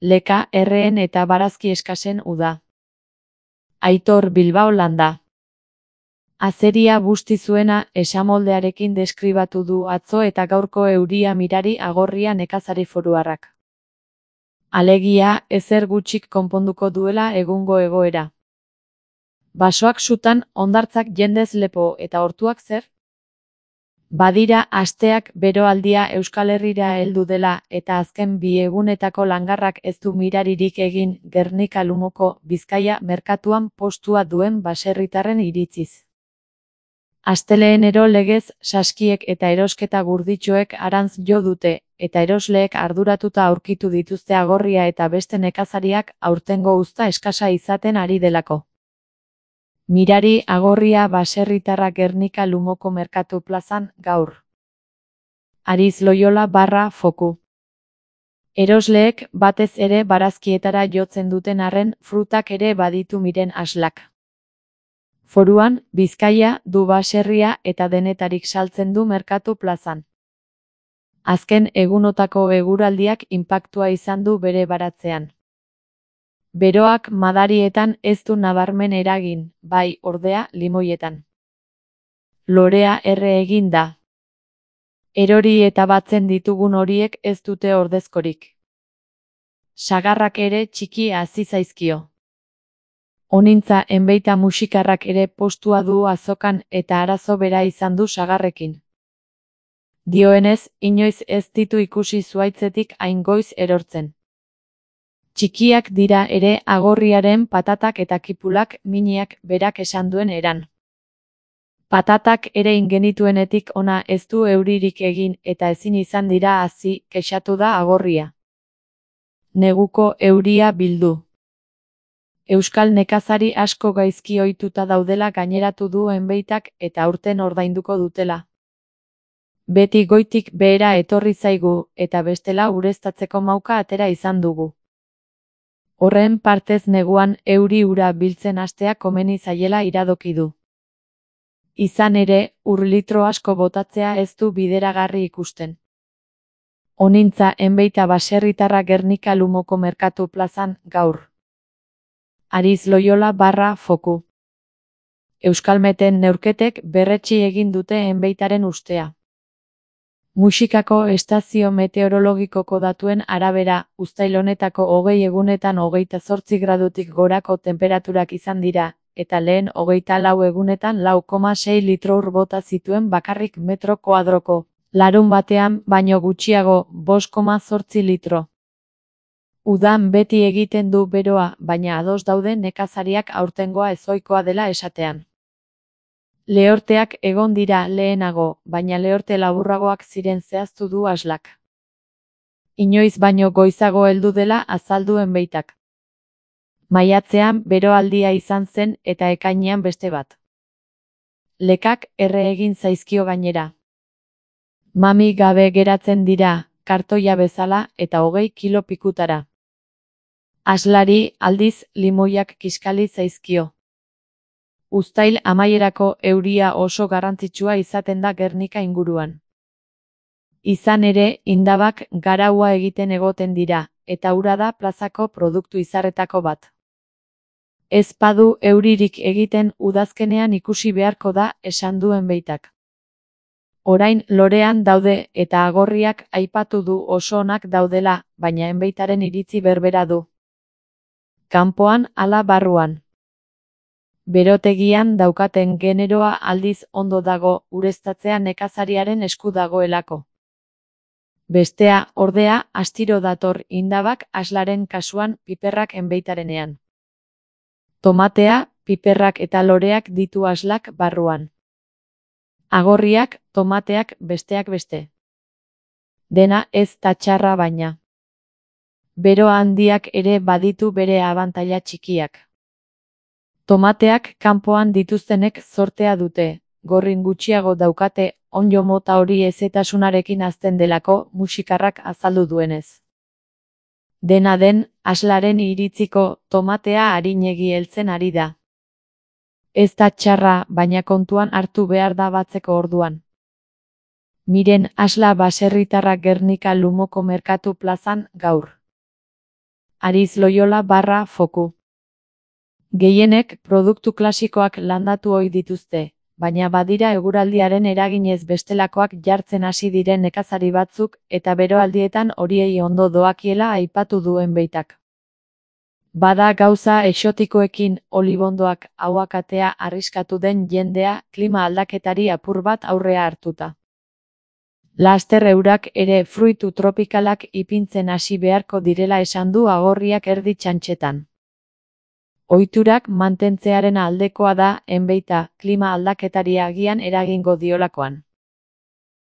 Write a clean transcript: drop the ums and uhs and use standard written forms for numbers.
Leka erreen eta barazki eskasen uda. Aitor Bilbao landa. Azeria busti zuena esamoldearekin deskribatu du atzo eta gaurko euria mirari agorria nekazari foruarrak. Alegia, ezer gutxik konponduko duela egungo egoera. Basoak sutan, hondartzak jendez lepo eta hortuak zer? Badira asteak beroaldia Euskal Herrira heldu dela eta azken 2 egunetako langarrak ez du miraririk egin Gernika Lumoko Bizkaia merkatuan postua duen baserritarren iritziz. Astelehenero legez saskiek eta erosketa gurditxoek arantz jo dute, eta erosleek arduratuta aurkitu dituzte agorria eta beste nekazariak aurtengo uzta eskasa izaten ari delako. Mirari agorria baserritarra Gernika Lumoko merkatu plazan gaur. Ariz Loyola / foku. Erosleek batez ere barazkietara jotzen duten arren frutak ere baditu miren aslak. Foruan, Bizkaia, du baserria eta denetarik saltzen du merkatu plazan. Azken egunotako eguraldiak inpaktua izan du bere baratzean. Beroak madarietan ez du nabarmen eragin, bai, ordea, limoietan. Lorea erre egin da. Erori eta batzen ditugun horiek ez dute ordezkorik. Sagarrak ere txiki hasi zaizkio. Honintza enbeita musikarrak ere postua du azokan eta arazo bera izan du sagarrekin. Dioenez, inoiz ez ditu ikusi zuaitzetik hain goiz erortzen. Txikiak dira ere agorriaren patatak eta kipulak miniak berak esan duen eran. Patatak ere ingenituenetik ona ez du euririk egin eta ezin izan dira hazi, kexatu da agorria. Neguko euria bildu. Euskal nekazari asko gaizki ohituta daudela gaineratu du enbeitak eta aurten ordainduko dutela. Beti goitik behera etorri zaigu eta bestela ureztatzeko mauka atera izan dugu. Horren partez neguan euri ura biltzen hastea komeni zaiela iradoki du. Izan ere, litro asko botatzea ez du bideragarri ikusten. Honintza enbeita baserritarra Gernika Lumoko merkatu plazan gaur. Ariz Loyola / foku. Euskalmeten neurketek berretsi egin dute enbeitaren ustea. Muxikako estazio meteorologikoko datuen arabera, uztail honetako 20 egunetan 28 gradutik gorako tenperaturak izan dira, eta lehen 24 egunetan 4,6 litro ur bota zituen bakarrik metro koadroko, larunbatean baino gutxiago 5,8 litro. Udan beti egiten du beroa, baina ados daude nekazariak aurtengoa ezohikoa dela esatean. Lehorteak egon dira lehenago, baina lehorte laburragoak ziren zehaztu du aslak. Inoiz baino goizago heldu dela azaldu enbeitak. Maiatzean beroaldia izan zen eta ekainean beste bat. Lekak erre egin zaizkio gainera. Mami gabe geratzen dira, kartoia bezala eta 20 kilo pikutara. Aslari, aldiz, limoiak kiskali zaizkio. Uztail amaierako euria oso garrantzitsua izaten da Gernika inguruan. Izan ere, indabak garaua egiten egoten dira, eta ura da plazako produktu izarretako bat. Ez badu euririk egiten udazkenean ikusi beharko da esan du enbeitak. Orain lorean daude eta agorriak aipatu du oso onak daudela, baina enbeitaren iritzi berbera du. Kanpoan ala barruan. Berotegian daukaten generoa aldiz ondo dago ureztatzea nekazariaren esku dagoelako. Bestea, ordea, astiro dator indabak aslaren kasuan piperrak enbeitarenean. Tomatea, piperrak eta loreak ditu aslak barruan. Agorriak, tomateak besteak beste. Dena ez da txarra baina. Bero handiak ere baditu bere abantaila txikiak. Tomateak kanpoan dituztenek zortea dute, gorrin gutxiago daukate, onjo mota hori ezetasunarekin hazten delako muxikarrak azaldu duenez. Dena den, aslaren iritziko tomatea arinegi heltzen ari da. Ez da txarra, baina kontuan hartu behar da batzeko orduan. Miren asla baserritarra Gernika Lumoko merkatu plazan gaur. Ariz Loyola barra foku. Gehienek produktu klasikoak landatu ohi dituzte, baina badira eguraldiaren eraginez bestelakoak jartzen hasi diren nekazari batzuk eta beroaldietan horiei ondo doakiela aipatu duen beitak. Bada gauza exotikoekin, olibondoak, ahuakatea arriskatu den jendea klima aldaketari apur bat aurrea hartuta. Laster eurak ere fruitu tropikalak ipintzen hasi beharko direla esan du Agorriak erdi txantxetan. Ohiturak mantentzearen aldekoa da, enbeita, klima aldaketari agian eragingo diolakoan.